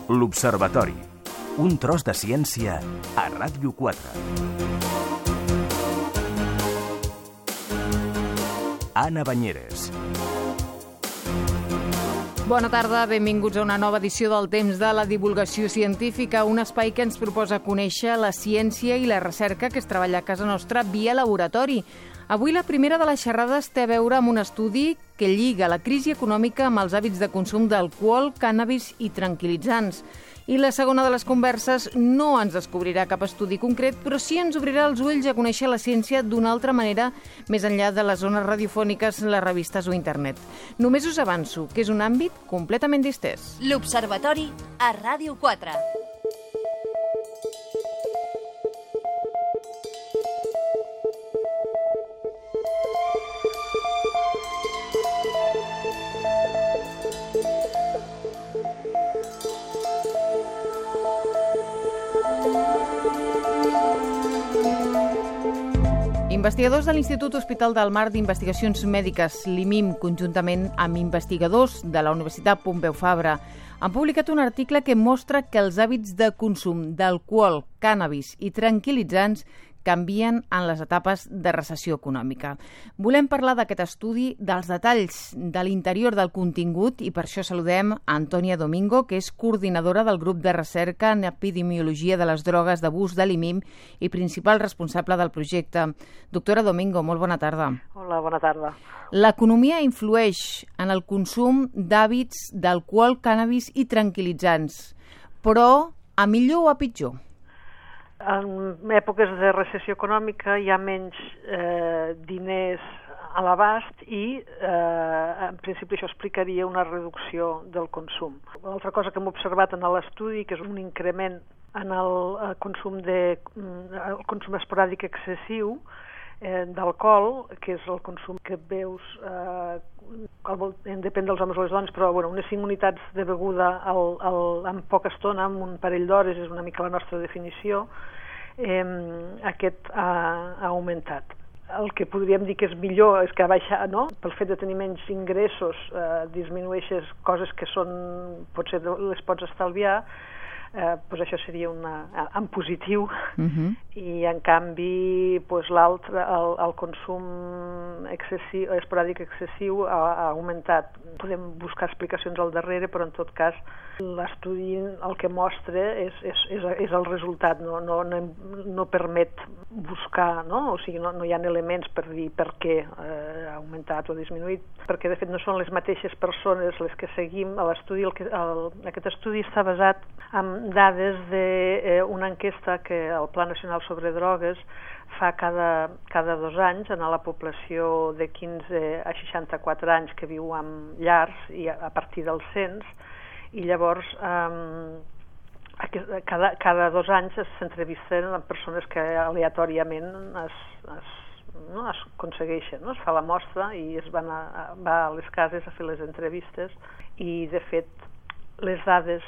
L'Observatori. Un tros de ciència a Ràdio 4. Anna Banyeres. Bona tarda, benvinguts a una nova edició del Temps de la Divulgació Científica, un espai que ens proposa conèixer la ciència i la recerca que es treballa a casa nostra via laboratori. Avui la primera de les xerrades té a veure amb un estudi que lliga la crisi econòmica amb els hàbits de consum d'alcohol, cànnabis i tranquil·litzants. I la segona de les converses no ens descobrirà cap estudi concret, però sí ens obrirà els ulls a conèixer la ciència d'una altra manera, més enllà de les zones radiofòniques, les revistes o internet. Només us avanço que és un àmbit completament distès. L'Observatori a Ràdio 4. Investigadors de l'Institut Hospital del Mar d'Investigacions Mèdiques, l'IMIM, conjuntament amb investigadors de la Universitat Pompeu Fabra, han publicat un article que mostra que els hàbits de consum d'alcohol, cànnabis i tranquil·litzants canvien en les etapes de recessió econòmica. Volem parlar d'aquest estudi, dels detalls de l'interior del contingut, i per això saludem a Antònia Domingo, que és coordinadora del grup de recerca en epidemiologia de les drogues d'abús de l'IMIM i principal responsable del projecte. Doctora Domingo, molt bona tarda. Hola, bona tarda. L'economia influeix en el consum d'hàbits d'alcohol, cànnabis i tranquil·litzants, però a millor o a pitjor? En èpoques de recessió econòmica hi ha menys diners a l'abast i en principi això explicaria una reducció del consum. L'altra cosa que hem observat en l'estudi, que és un increment en el consum esporàdic excessiu d'alcohol, que és el consum que veus, depèn dels homes o les dones, però unes 5 unitats de beguda en poca estona, en un parell d'hores, és una mica la nostra definició, aquest ha augmentat. El que podríem dir que és millor és que ha baixat, no? Pel fet de tenir menys ingressos disminueixes coses que potser les pots estalviar, doncs això seria en positiu. I en canvi l'altre, el consum esporàdic excessiu ha augmentat. Podem buscar explicacions al darrere, però en tot cas l'estudi el que mostra és el resultat, no permet buscar, no? O sigui, no hi ha elements per dir per què ha augmentat o disminuït, perquè de fet no són les mateixes persones les que seguim a l'estudi. Aquest estudi està basat en dades d'una enquesta que el Pla Nacional sobre Drogues fa cada 2 anys en la població de 15 a 64 anys que viu en llars i a partir del cens, i llavors cada 2 anys s'entrevisten amb persones que aleatòriament es aconsegueixen, no? Es fa la mostra i va a les cases a fer les entrevistes, i de fet les dades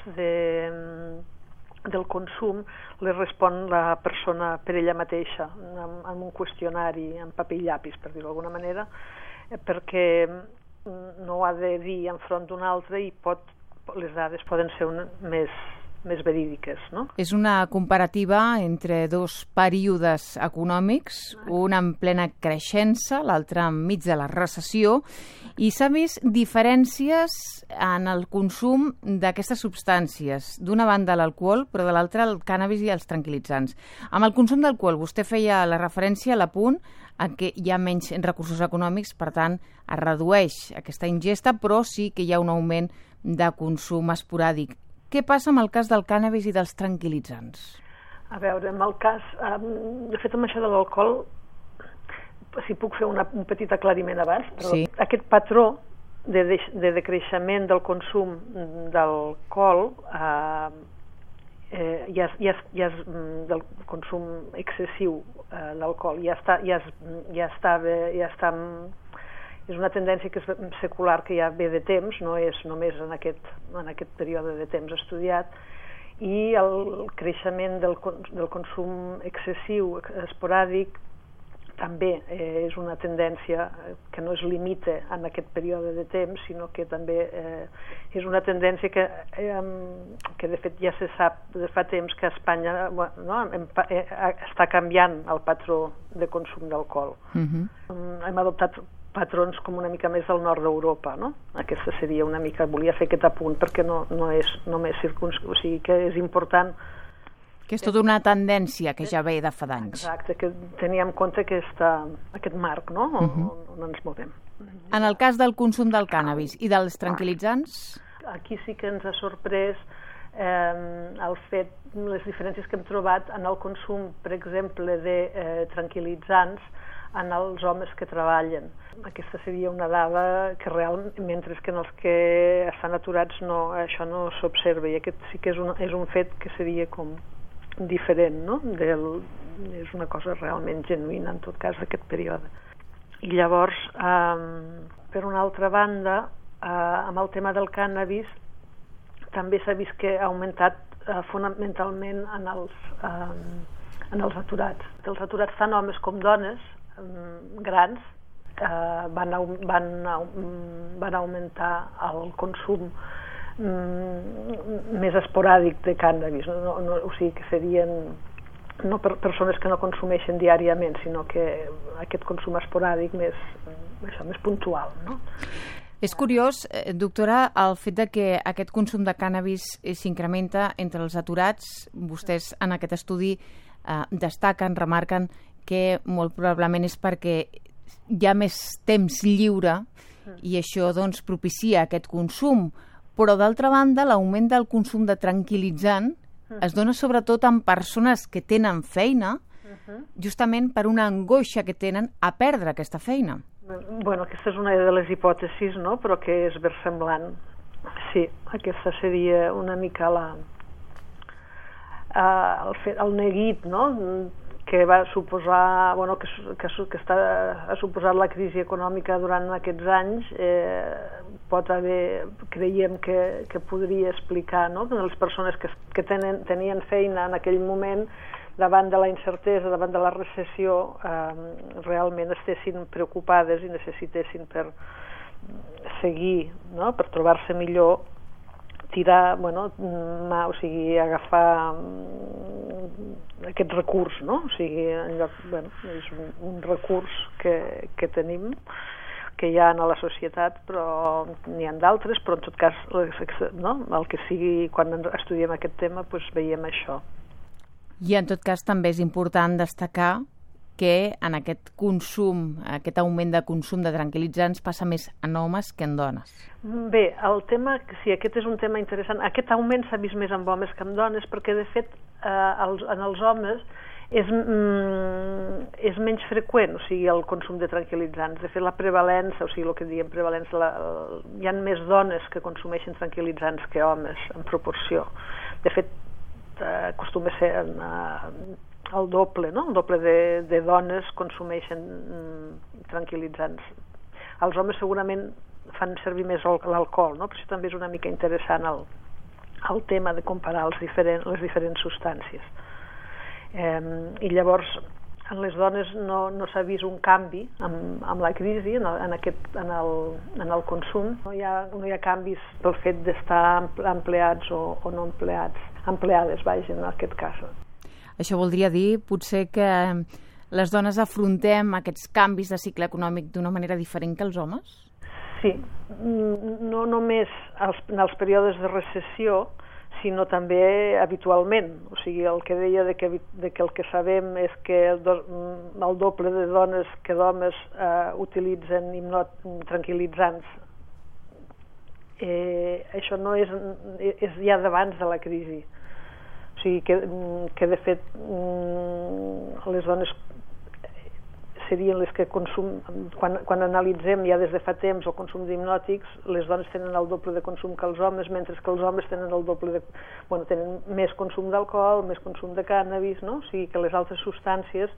del consum les respon la persona per ella mateixa amb un qüestionari en paper i llapis, per dir-ho d'alguna manera, perquè no ho ha de dir enfront d'un altre i les dades poden ser més verídiques, no? És una comparativa entre 2 períodes econòmics, un en plena creixença, l'altre enmig de la recessió, i s'ha vist diferències en el consum d'aquestes substàncies. D'una banda l'alcohol, però de l'altra el cànnabis i els tranquil·litzants. Amb el consum d'alcohol, vostè feia la referència a l'apunt en què hi ha menys recursos econòmics, per tant es redueix aquesta ingesta, però sí que hi ha un augment de consum esporàdic. Què passa amb el cas del cànnabis i dels tranquil·litzants? A veure, en el cas, de fet amb això de l'alcohol, si puc fer un petit aclariment abans, però sí. Aquest patró de decreixement del consum d'alcohol, del consum excessiu d'alcohol, és una tendència que és secular, que ja ve de temps, no és només en aquest període de temps estudiat, i el creixement del consum excessiu, esporàdic, també és una tendència que no es limita en aquest període de temps, sinó que també és una tendència que de fet ja se sap de fa temps que a Espanya està canviant el patró de consum d'alcohol. Hem adoptat patrons com una mica més del nord d'Europa, no? Aquesta seria una mica, volia fer aquest apunt perquè no és només o sigui que és important que és tota una tendència que ja ve de fa d'anys. Exacte, que tenia en compte aquest marc, no? On ens movem. En el cas del consum del cànnabis i dels tranquil·litzants? Aquí sí que ens ha sorprès el fet, les diferències que hem trobat en el consum, per exemple, de tranquil·litzants en els homes que treballen. Aquesta seria una dada que realment, mentre que en els que estan aturats això no s'observa, i aquest sí que és un fet que seria com diferent, no? És una cosa realment genuïna, en tot cas, d'aquest període. I llavors, per una altra banda, amb el tema del cànnabis, també s'ha vist que ha augmentat fonamentalment en els aturats. Els aturats, tant homes com dones, grans, van augmentar el consum més esporàdic de cànnabis, o sigui que serien no persones que no consumeixen diàriament, sinó que aquest consum esporàdic més puntual, no? És curiós, doctora, el fet de que aquest consum de cànnabis s'incrementa entre els aturats. Vostès en aquest estudi destaquen, remarquen que molt probablement és perquè hi ha més temps lliure i això doncs propicia aquest consum. Però d'altra banda, l'augment del consum de tranquil·litzant es dona sobretot en persones que tenen feina, justament per una angoixa que tenen a perdre aquesta feina. Bueno, aquesta és una de les hipòtesis, no? Però que és versemblant. Sí, aquesta seria una mica el neguit, no? Que va suposar, bueno, que ha suposat la crisi econòmica durant aquests anys, creiem que podria explicar, no? Que les persones que tenien feina en aquell moment, davant de la incertesa, davant de la recessió, realment estessin preocupades i necessitessin per seguir, no? Per trobar-se millor, tirar, o sigui, agafar aquest recurs, no? O sigui, en lloc, és un recurs que tenim, que hi ha a la societat, però n'hi ha d'altres, però en tot cas, no? El que sigui, quan estudiem aquest tema, doncs veiem això. I en tot cas també és important destacar que en aquest consum, aquest augment de consum de tranquil·litzants passa més en homes que en dones. Bé, el tema, sí, aquest és un tema interessant. Aquest augment s'ha vist més en homes que en dones perquè, de fet, en els homes és menys freqüent, o sigui, el consum de tranquil·litzants. De fet, la prevalença, o sigui, el que diem prevalença, hi ha més dones que consumeixen tranquil·litzants que homes, en proporció. De fet, acostuma a ser el doble, no? El doble de dones consumeixen tranquil·litzants. Els homes segurament fan servir més l'alcohol, no? Però això també és una mica interessant el tema de comparar les diferents substàncies. I llavors, en les dones no s'ha vist un canvi amb la crisi en el consum. No hi ha canvis pel fet d'estar empleats o no empleades, en aquest cas. Això voldria dir, potser, que les dones afrontem aquests canvis de cicle econòmic d'una manera diferent que els homes? Sí, no només en els períodes de recessió, sinó també habitualment. O sigui, el que deia de que el que sabem és que el doble de dones que d'homes utilitzen tranquil·litzants. Això no és ja d'abans de la crisi. O sigui, que de fet les dones serien les que quan analitzem ja des de fa temps el consum d'hipnòtics, les dones tenen el doble de consum que els homes, mentre que els homes tenen el doble tenen més consum d'alcohol, més consum de cànnabis, no? O sigui que les altres substàncies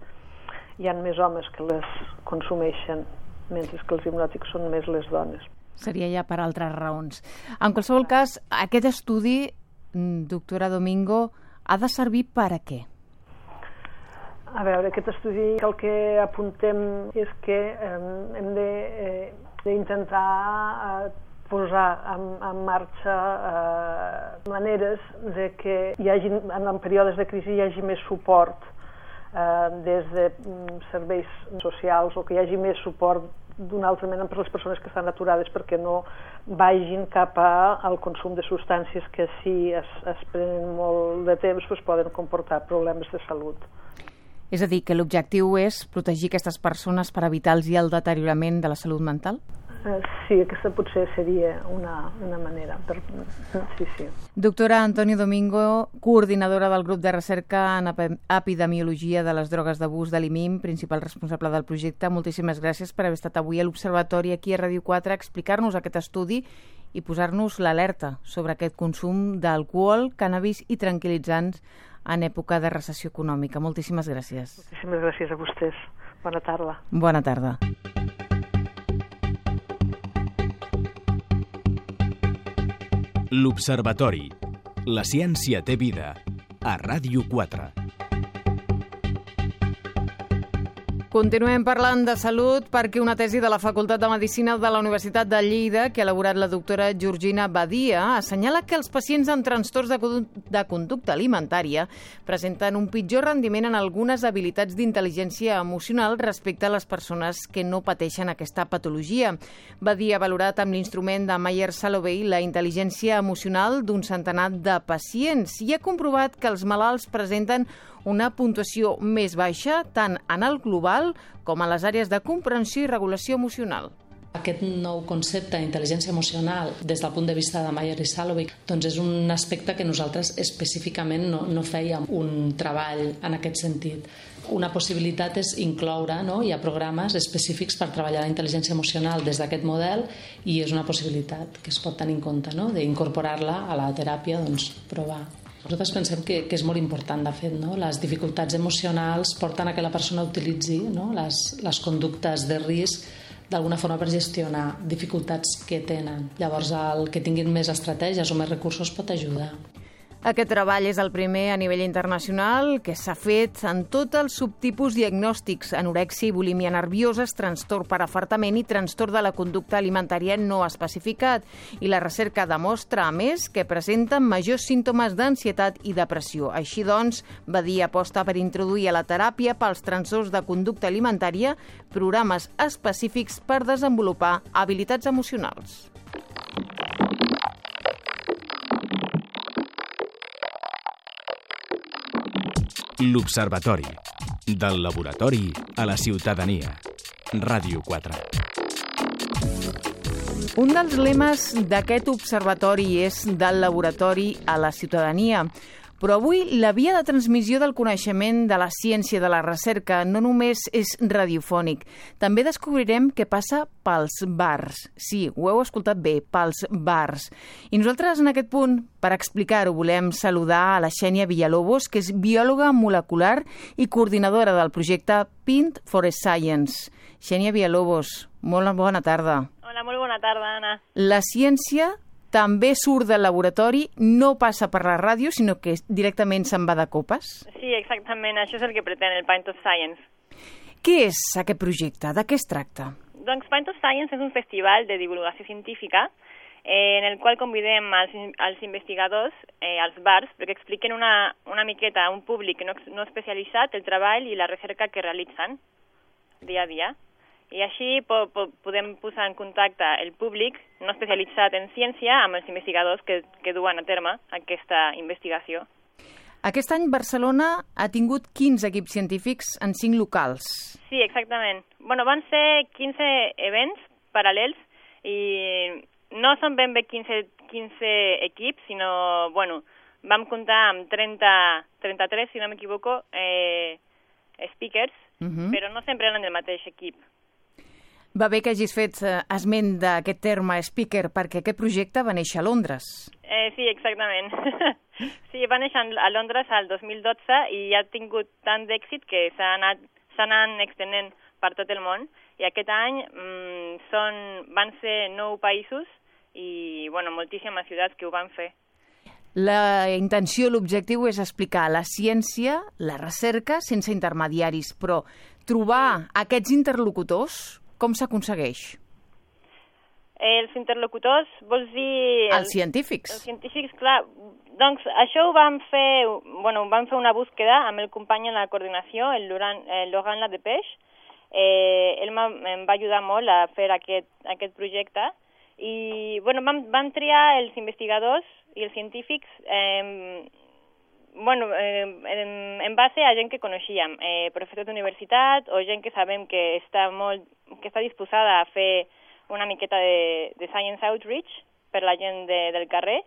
hi ha més homes que les consumeixen, mentre que els hipnòtics són més les dones. Seria ja per altres raons. En qualsevol cas, aquest estudi, doctora Domingo, ha de servir per a què? A veure, aquest estudi el que apuntem és que hem d'intentar posar en marxa maneres de que hi hagi, en períodes de crisi hi hagi més suport des de serveis socials, o que hi hagi més suport d'una altra mena per les persones que estan aturades, perquè no vagin cap al consum de substàncies que si es prenen molt de temps poden comportar problemes de salut. És a dir, que l'objectiu és protegir aquestes persones per evitar-los el deteriorament de la salut mental? Sí, aquesta potser seria una manera. Sí. Doctora Antonio Domingo, coordinadora del grup de recerca en epidemiologia de les drogues d'abús de l'IMIM, principal responsable del projecte, moltíssimes gràcies per haver estat avui a l'Observatori aquí a Ràdio 4 a explicar-nos aquest estudi i posar-nos l'alerta sobre aquest consum d'alcohol, cànnabis i tranquil·litzants en època de recessió econòmica. Moltíssimes gràcies. Moltíssimes gràcies a vostès. Bona tarda. Bona tarda. L'Observatori. La ciència té vida. A Ràdio 4. Continuem parlant de salut perquè una tesi de la Facultat de Medicina de la Universitat de Lleida, que ha elaborat la doctora Georgina Badia, assenyala que els pacients amb trastorns de conducta alimentària presenten un pitjor rendiment en algunes habilitats d'intel·ligència emocional respecte a les persones que no pateixen aquesta patologia. Badia ha valorat amb l'instrument de Myers-Salovey la intel·ligència emocional d'un centenar de pacients i ha comprovat que els malalts presenten una puntuació més baixa tant en el global com a les àrees de comprensió i regulació emocional. Aquest nou concepte d'intel·ligència emocional des del punt de vista de Myers i Salovey doncs és un aspecte que nosaltres específicament no fèiem un treball en aquest sentit. Una possibilitat és incloure, hi ha programes específics per treballar la intel·ligència emocional des d'aquest model i és una possibilitat que es pot tenir en compte, d'incorporar-la a la teràpia, provar. Nosaltres pensem que és molt important, de fet, les dificultats emocionals porten a que la persona utilitzi les conductes de risc d'alguna forma per gestionar dificultats que tenen. Llavors, el que tinguin més estratègies o més recursos pot ajudar. Aquest treball és el primer a nivell internacional que s'ha fet en tots els subtipus diagnòstics: anorèxia i bulímia nervioses, trastorn per afartament i trastorn de la conducta alimentària no especificat. I la recerca demostra, a més, que presenten majors símptomes d'ansietat i depressió. Així doncs, Badia aposta per introduir a la teràpia pels trastorns de conducta alimentària programes específics per desenvolupar habilitats emocionals. L'Observatori. Del laboratori a la ciutadania. Ràdio 4. Un dels lemes d'aquest observatori és del laboratori a la ciutadania. Però avui la via de transmissió del coneixement de la ciència de la recerca no només és radiofònic. També descobrirem què passa pels bars. Sí, ho heu escoltat bé, pels bars. I nosaltres en aquest punt, per explicar-ho, volem saludar a la Xènia Villalobos, que és biòloga molecular i coordinadora del projecte Pint for Science. Xènia Villalobos, molt bona tarda. Hola, molt bona tarda, Anna. La ciència també surt del laboratori, no passa per la ràdio, sinó que directament se'n va de copes? Sí, exactament, això és el que pretén el Pint of Science. Què és aquest projecte? De què es tracta? Doncs Pint of Science és un festival de divulgació científica en el qual convidem als investigadors, als bars, perquè expliquen una miqueta a un públic no especialitzat el treball i la recerca que realitzen dia a dia. I així podem posar en contacte el públic no especialitzat en ciència amb els investigadors que duen a terme aquesta investigació. Aquest any Barcelona ha tingut 15 equips científics en 5 locals. Sí, exactament. Van ser 15 events paral·lels i no són ben bé 15 equips, sinó, vam comptar amb 33, si no m'equivoco, speakers, però no sempre eren del mateix equip. Va bé que hagis fet esment d'aquest terme speaker, perquè aquest projecte va néixer a Londres. Sí, exactament. Sí, va néixer a Londres al 2012 i ha tingut tant d'èxit que s'han anat extenent per tot el món. I aquest any van ser 9 països i moltíssimes ciutats que ho van fer. La intenció, l'objectiu és explicar la ciència, la recerca, sense intermediaris, però trobar aquests interlocutors, com s'aconsegueix? Els interlocutors, vols dir... Els científics. Els científics, clar. Doncs això ho vam fer una búsqueda amb el company en la coordinació, el Laurent Ladepeix. Ell em va ajudar molt a fer aquest projecte. I vam triar els investigadors i els científics en base a gent que coneixíem, professors d'universitat o gent que sabem que està disposada a fer una miqueta de science outreach per la gent del carrer.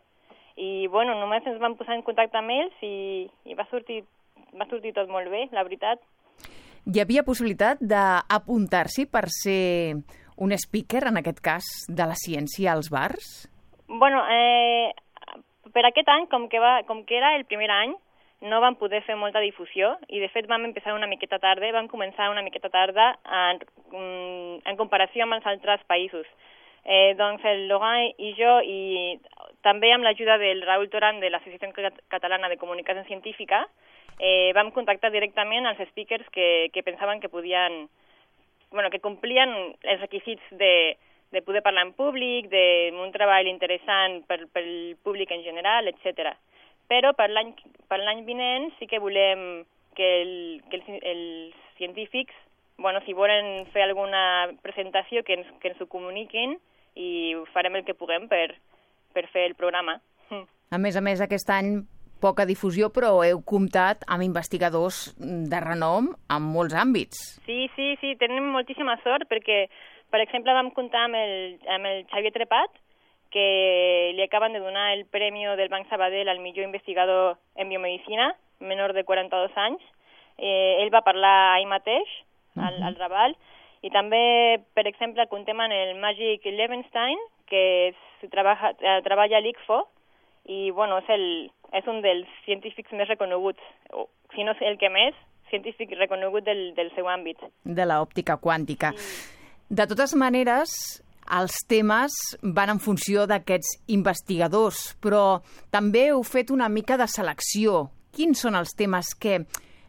I només ens vam posar en contacte amb ells i va sortir tot molt bé, la veritat. Hi havia possibilitat d'apuntar-s'hi per ser un speaker, en aquest cas, de la ciència als bars? Per aquest any, com que era el primer any, no vam poder fer molta difusió i, de fet, vam començar una miqueta tarda en comparació amb els altres països. Doncs el Laurent i jo, i també amb l'ajuda del Raúl Torán de l'Associació Catalana de Comunicació Científica, vam contactar directament els speakers que pensaven que que complien els requisits de poder parlar en públic, d'un treball interessant pel públic en general, etc. Però per l'any vinent sí que volem que els científics, si volen fer alguna presentació, que ens ho comuniquin i farem el que puguem per fer el programa. A més, aquest any poca difusió, però heu comptat amb investigadors de renom en molts àmbits. Sí, tenim moltíssima sort perquè, per exemple, vam comptar amb el Xavier Trepat, que li acaben de donar el Premi del Banc Sabadell al millor investigador en biomedicina, menor de 42 anys. Ell va parlar ahir mateix, al Raval, i també, per exemple, comptem amb el Magic Levenstein, que treballa a l'ICFO, i és un dels científics més reconeguts, si no és el que més, científic reconegut del seu àmbit. De l'òptica quàntica. Sí. De totes maneres, els temes van en funció d'aquests investigadors, però també heu fet una mica de selecció. Quins són els temes que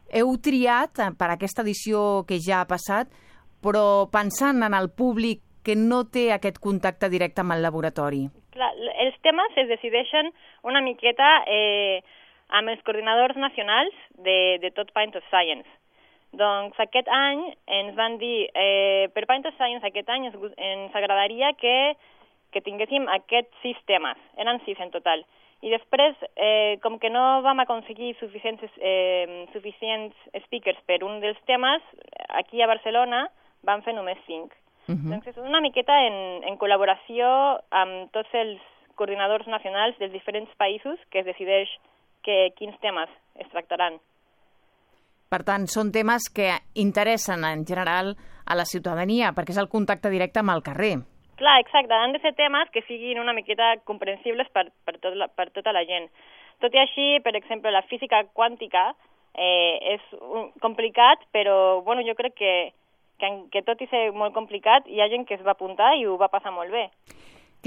heu triat per aquesta edició que ja ha passat, però pensant en el públic que no té aquest contacte directe amb el laboratori? Clar, els temes es decideixen una miqueta amb els coordinadors nacionals de tot Pint of Science. Doncs aquest any ens van dir, per Pint of Science aquest any ens agradaria que tinguéssim aquests 6 temes, eren 6 en total. I després, com que no vam aconseguir suficients speakers per un dels temes, aquí a Barcelona vam fer només 5. Doncs és una miqueta en col·laboració amb tots els coordinadors nacionals dels diferents països que es decideix quins temes es tractaran. Per tant, són temes que interessen en general a la ciutadania, perquè és el contacte directe amb el carrer. Clar, exacte. Han de ser temes que siguin una miqueta comprensibles per tota la gent. Tot i així, per exemple, la física quàntica és complicat, però jo crec que tot i ser molt complicat, hi ha gent que es va apuntar i ho va passar molt bé.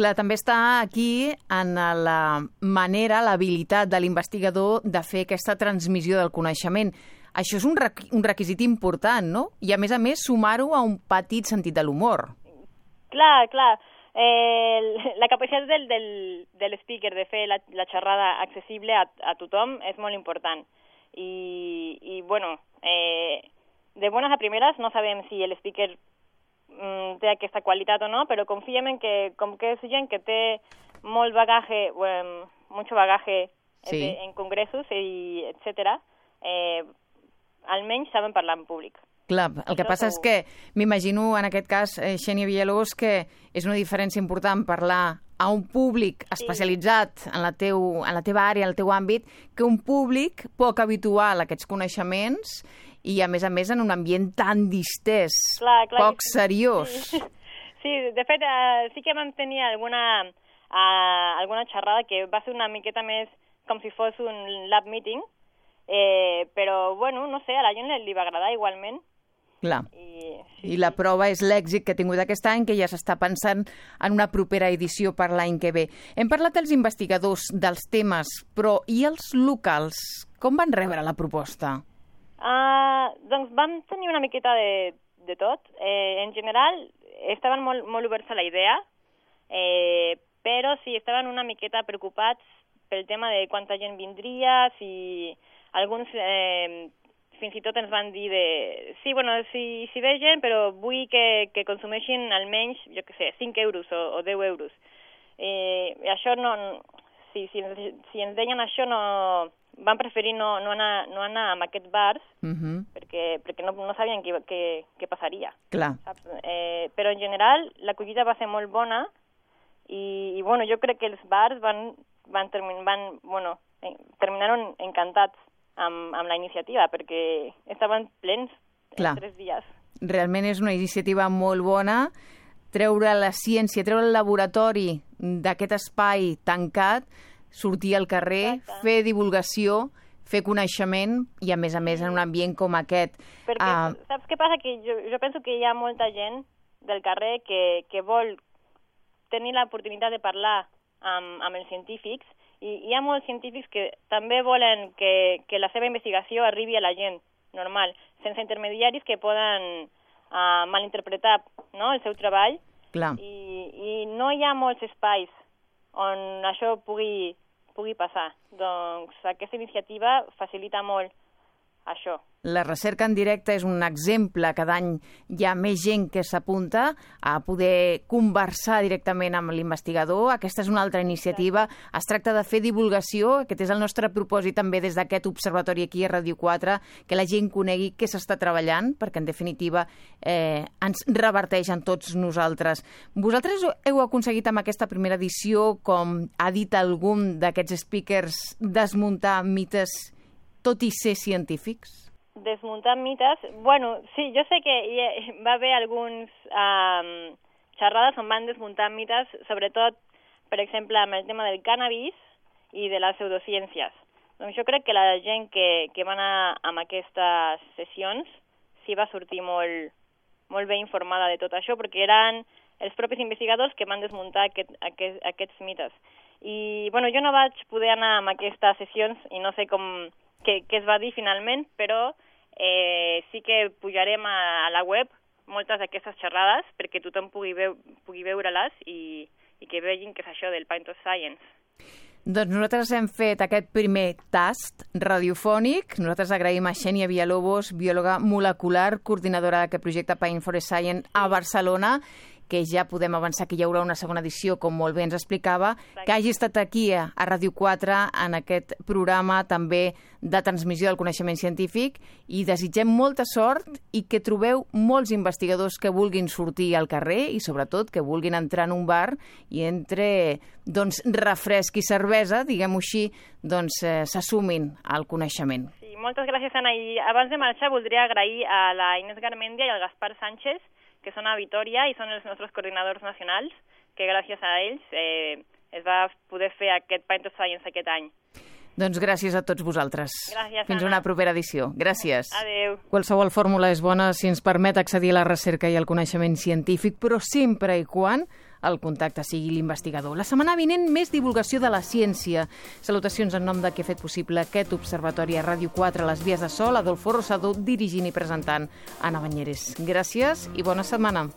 Clar, també està aquí en la manera, l'habilitat de l'investigador de fer aquesta transmissió del coneixement. Això és un requisit important, no? I, a més, sumar-ho a un petit sentit de l'humor. Clar. La capacitat del speaker de fer la xerrada accessible a tothom és molt important. I de bones a primeres no sabem si el speaker té aquesta qualitat o no, però confiem en que, com que és gent que té molt bagaje, mucho bagaje en congressos, etc., almenys saben parlar en públic. Clar, el que passa és que m'imagino, en aquest cas, Xènia Villalós, que és una diferència important parlar a un públic especialitzat en la teva àrea, en el teu àmbit, que un públic poc habitual a aquests coneixements i, a més, en un ambient tan distès, poc seriós. Sí, de fet, sí que vam tenir alguna xerrada que va ser una miqueta més com si fos un lab meeting, però, no sé, a la gent li va agradar igualment. Clar. I la prova és l'èxit que ha tingut aquest any, que ja s'està pensant en una propera edició per l'any que ve. Hem parlat dels investigadors, dels temes, però i els locals? Com van rebre la proposta? Doncs vam tenir una miqueta de tot. En general, estaven molt oberts a la idea, però sí, estaven una miqueta preocupats pel tema de quanta gent vindria, si alguns... fins i tot ens van dir sí, si ve gent, però vull que consumeixin almenys, jo què sé, 5 euros o 10 euros. I això no... Si ens deien això, van preferir no anar amb aquests bars, perquè no sabien què passaria. Clar. Saps? Però en general l'acollida va ser molt bona i jo crec que els bars terminaron encantats amb la iniciativa, perquè estaven plens en 3 dies. Realment és una iniciativa molt bona, treure la ciència, treure el laboratori d'aquest espai tancat, sortir al carrer, fer divulgació, fer coneixement i, a més, en un ambient com aquest. Perquè saps què passa? Que jo penso que hi ha molta gent del carrer que vol tenir l'oportunitat de parlar amb els científics, i hi ha molts científics que també volen que la seva investigació arribi a la gent normal, sense intermediaris que poden malinterpretar, no, el seu treball. Clar. I no hi ha molts espais on això pugui passar. Doncs aquesta iniciativa facilita molt això. La recerca en directe és un exemple. Cada any hi ha més gent que s'apunta a poder conversar directament amb l'investigador. Aquesta és una altra iniciativa. Es tracta de fer divulgació. Aquest és el nostre propòsit també des d'aquest observatori aquí a Ràdio 4, que la gent conegui què s'està treballant, perquè en definitiva ens reverteix en tots nosaltres. Vosaltres heu aconseguit amb aquesta primera edició, com ha dit algun d'aquests speakers, desmuntar mites tot i ser científics? Desmuntar mites? Sí, jo sé que va haver alguns xerrades on van desmuntar mites, sobretot, per exemple, amb el tema del cànnabis i de les pseudociències. Doncs jo crec que la gent que va anar amb aquestes sessions sí va sortir molt ben informada de tot això, perquè eren els propis investigadors que van desmuntar aquests mites. I, jo no vaig poder anar amb aquestes sessions i no sé què es va dir finalment, però sí que pujarem a la web moltes d'aquestes xerrades perquè tothom pugui veure-les i que vegin què és això del Pint of Science. Doncs nosaltres hem fet aquest primer tast radiofònic. Nosaltres agraïm a Xènia Villalobos, biòloga molecular, coordinadora d'aquest projecte Pint for Science a Barcelona, que ja podem avançar que hi haurà una segona edició, com molt bé ens explicava, que hagi estat aquí a Ràdio 4 en aquest programa també de transmissió del coneixement científic, i desitgem molta sort i que trobeu molts investigadors que vulguin sortir al carrer i sobretot que vulguin entrar en un bar i entre refresc i cervesa, diguem-ho així, s'assumin al coneixement. Sí, moltes gràcies, Anna. I abans de marxar voldria agrair a la Inés Garmendia i al Gaspar Sánchez, que són a Vitoria i són els nostres coordinadors nacionals, que gràcies a ells es va poder fer aquest Pint of Science aquest any. Doncs gràcies a tots vosaltres. Gràcies, Fins Anna. una propera edició. Gràcies. Adéu. Qualsevol fórmula és bona si ens permet accedir a la recerca i al coneixement científic, però sempre i quan el contacte sigui l'investigador. La setmana vinent, més divulgació de la ciència. Salutacions en nom de qui ha fet possible aquest observatori a Ràdio 4, a les vies de Sol, Adolfo Rosador, dirigint i presentant Anna Banyeres. Gràcies i bona setmana.